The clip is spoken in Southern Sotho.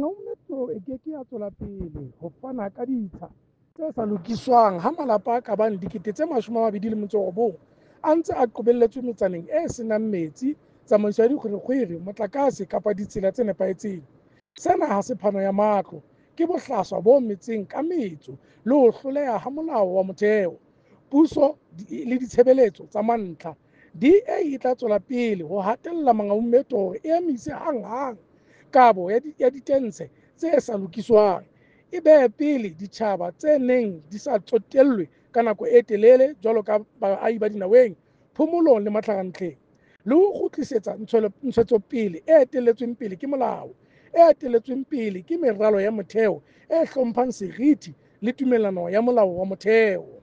Mangaung Metro e ke ke ya tswela pele ho fana ka ditsha tse sa lokiswang ha malapa a ka bang 29 000 a ntse a qobelletswe metsaneng e se nang metsi, tsamaiso ya dikgwerekgwere, motlakase kapa ditsela tse nepahetseng. Sena ha se phano ya matlo, ke bohlaswa bo metseng ka metso le ho hloleha ha molao wa motheo, puso le ditshebeletso tsa mantlha. DA e tla tswela pele ho hatella Mangaung Metro hore e emise hanghang kabo ya ditense tse sa lokiswang, e behe pele ditjhaba tse neng di sa tsotellwe ka nako e telele jwalo ka baahi ba Dinaweng, Phomolong le Matlharantleng, le ho kgutlisetsa ntshetsopele e etelletsweng pele ke molao, e etelletsweng pele ke meralo ya motheo e hlomphang seriti le tumellano ya molao wa motheo.